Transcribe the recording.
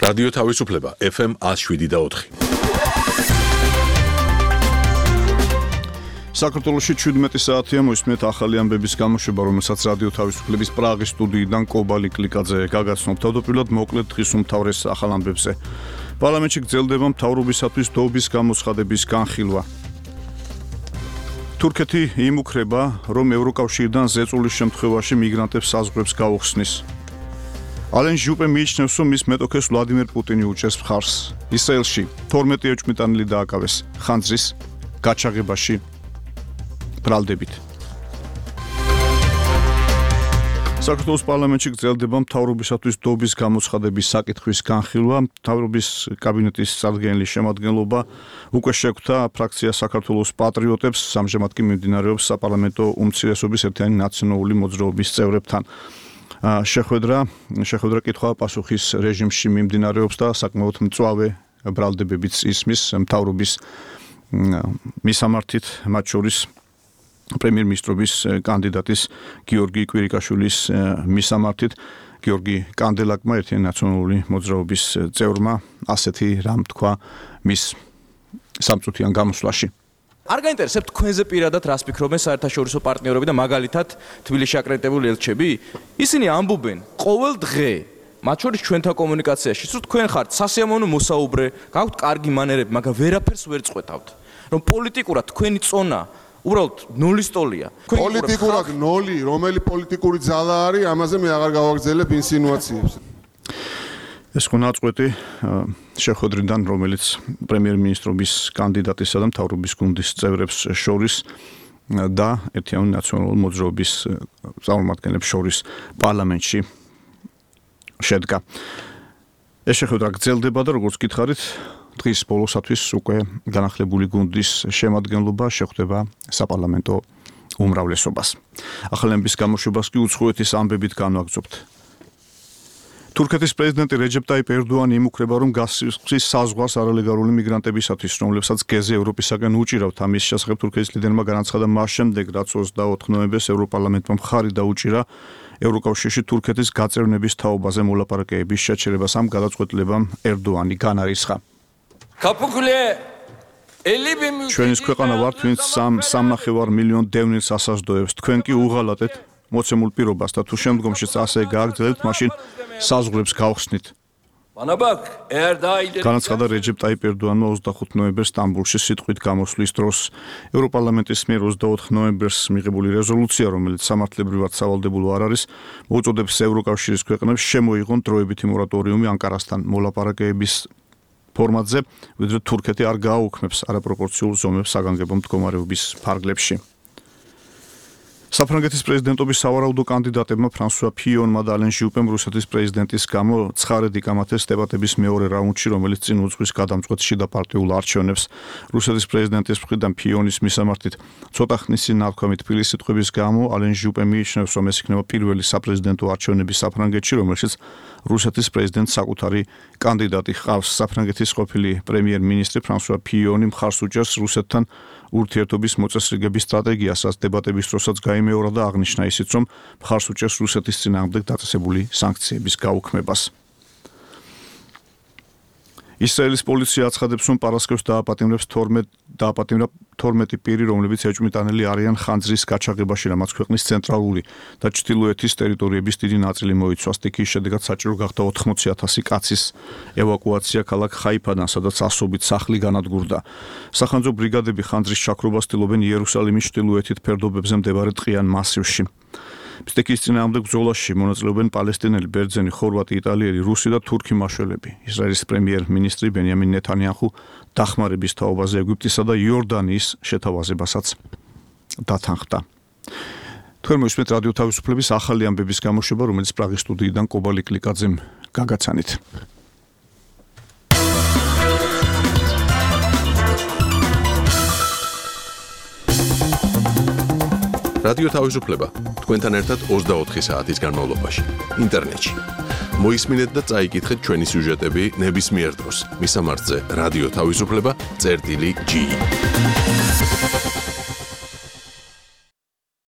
რადიო თავისუფლება FM 107.4. საქართველოში 17 საათია მოისმენთ ახალი ამბების გამოშვება, რომელსაც რადიო თავისუფლების პრაღის სტუდიიდან კობალი კლიკაძე გაგაცნობ. თავდაპირველად მოკლედ დღის უმთავრეს ახალ ამბებზე. პარლამენტში გრძელდება მთავრობისათვის დოობის გამოცხადების განხილვა. თურქეთი იმუქრება, რომ ევროკავშირიდან ზეწოლის შემთხვევაში მიგრანტებს საზღვრებს გაუხსნის. ალენ ჟუპე მიიჩნევს, რომ მის მეტოქეს ვლადიმერ პუტინი უჭერს მხარს. ისრაელში 12 ეჭვმიტანილი დააკავეს ხანძრის გაჩაღებაში ბრალდებით. საქართველოს პარლამენტში გრძელდება მთავრობისათვის დოობის გამოცხადების საკითხვის განხილვა. მთავრობის კაბინეტის სარგენლის შემადგენლობა უკვე შეგვთა ფრაქცია საქართველოს პატრიოტებს, ამჟამად კი მიმდინარეობს საპარლამენტო უმცირესობის ერთიანი ნაციონალური მოძრაობის წევრებთან. შეხვედრა კითხვა-პასუხის რეჟიმში მიმდინარეობს და საკმაოდ მწვავე ბრალდებებიც ისმის მთავრობის მისამართით, მათ შორის პრემიერ-მინისტრობის კანდიდატის გიორგი კვირიკაშვილის მისამართით. გიორგი კანდელაკმა ერთიანი ნაციონალური მოძრაობის წევრმა ასეთი რამ თქვა მის სამწუთიან გამოსვლაში. არ გაინტერესებთ თქვენზე პირადად რას ფიქრობენ საერთაშორისო პარტნიორები და მაგალითად თბილისში აკრედიტებული ელჩები? ისინი ამბობენ ყოველ დღე, მათ შორის ჩვენთან კომუნიკაციაში, რომ თქვენ ხართ სასიამოვნო მოსაუბრე, გაქვთ კარგი მანერები, მაგრამ ვერაფერს ვერ წყვეთავთ. რომ პოლიტიკურად თქვენი წონა უბრალოდ ნულის ტოლია. პოლიტიკურად ნოლი, რომელი პოლიტიკური ძალა არის, ამაზე მე აღარ გავაგრძელებ ინსინუაციებს. ეს ხო ნაწყვეტი შეხვედრიდან, რომელიც პრემიერ-მინისტრობის კანდიდატისა და მთავრობის გუნდის წევრებს შორის და ერთიანი ნაციონალური მოძრაობის წარმომადგენლებს შორის პარლამენტში შედგა. ეს შეხვედრა გრძელდება და როგორც გითხარით, დღის ბოლოსათვის უკვე განახლებული გუნდის შემადგენლობა შეხვდება საპარლამენტო უმრავლესობას. ახალი ამბების გამოშვებას კი უცხოეთის ამბებით განვაგრძობთ. თურქეთის პრეზიდენტი რეჯეპ ტაიპ ერდოანი იმუქრება, რომ გასცის საზღვარს არალეგალური მიგრანტებისათვის, რომლებსაც გეზი ევროპისაგან უჭირავთ. ამის შესახებ თურქეთის ლიდერმა განაცხადა მას შემდეგ, რაც 24 ნოემბერს ევროპარლამენტმა მხარი დაუჭირა ევროკავშირში თურქეთის გაწევრნების თაობაზე მოლაპარაკებების შეჩერებას. ამ გადაწყვეტილებამ ერდოანი განარისხა. ჩვენის ქვეყანა ვართ, ვინც 3.5 მილიონ დევნილს ასაზრდოებს. თქვენ კი უღალატეთ მოცემულ პირობას და თუ შემდგომშიც ასე გააგრძელებთ, მაშინ საზღვრებს გავხსნით. განაცხადა რეჯეპ ტაიპ ერდოანმა 25 ნოემბერს სტამბოლში სიტყვით გამოსვლის დროს. ევროპარლამენტის მიერ 24 ნოემბერს მიღებული რეზოლუცია, რომელიც სამართლებრივად სავალდებულო არ არის, მოუწოდებს ევროკავშირის ქვეყნებს შემოიღონ დროებითი მორატორიუმი ანკარასთან მოლაპარაკებების ფორმატზე, ვიდრე თურქეთი არ გააუქმებს არაპროპორციულ ზომებს საგანგებო მდგომარეობის ფარგლებში. საფრანგეთის პრეზიდენტობის სავარაუდო კანდიდატებმა ფრანსუა ფიონმა და ალენ ჟუპემ რუსეთის პრეზიდენტის გამო ცხარედ იკამათეს დებატების მეორე რაუნდში, რომელიც წინ უძღვის გადამწყვეტ შიდა პარტიულ არჩევნებს. რუსეთის პრეზიდენტის მხრიდან ფიონის მისამართით ცოტა ხნის წინ ნათქვამი თბილის სიტყვების გამო ალენ ჟუპე მიიჩნევს, რომ ეს იქნება პირველი საპრეზიდენტო არჩევნები საფრანგეთში, რომელშიც რუსეთის პრეზიდენტს საკუთარი კანდიდატი ჰყავს. საფრანგეთის ყოფილი პრემიერ-მინისტრი ფრანსუა ფიონი მხარს უჭერს რუსეთთან ურთიერთობის მოწესრიგების სტრატეგიასაც დებატების დროსაც გაიმეორა და აღნიშნა ისიც, რომ მხარს უჭერს რუსეთის წინააღმდეგ დაწესებული სანქციების გაუქმებას. ისრაელის პოლიცია აცხადებს, რომ პარასკევს დააპატიმრებს 12 პირი, რომლებიც ეჭვმიტანილი არიან ხანძრის გაჩაღებაში, რამაც ქვეყნის ცენტრალური და ჩრდილოეთის ტერიტორიების დიდი ნაწილი მოიცვა. იქის შედეგად საჭირო გახდა 80,000 კაცის ევაკუაცია ქალაქ ხაიფადან, სადაც ასობით სახლი განადგურდა. სახანძრო ბრიგადები ხანძრის ჩაქრობას ცდილობენ იერუსალიმის ჩრდილოეთით ფერდობებზე მდებარე ტყიან მასივში. მცდეკის წინააღმდეგ ბრძოლაში მონაწილეობენ პალესტინელი, ბერძენი, ხორვატი, იტალიელი, რუსი და თურქი მაშველები. ისრაელის პრემიერ-მინისტრი ბენიამინ ნეთანიაჰუ დახმარების თაობაზე ეგვიპტისა და იორდანიის შეთავაზებასაც დათანხმდა. თქვენ მოისმენთ რადიო თავისუფლების ახალი ამბების გამოშვება, რომელიც პრაღის სტუდიიდან კობალი კლიკაძემ გაგაცანით. რადიო თავისუფლება თქვენთან ერთად 24 საათის განმავლობაში ინტერნეტში. მოისმინეთ და წაიკითხეთ ჩვენი სიუჟეტები ნებისმიერ დროს. მისამართზე რადიო თავისუფლება წერტილი G.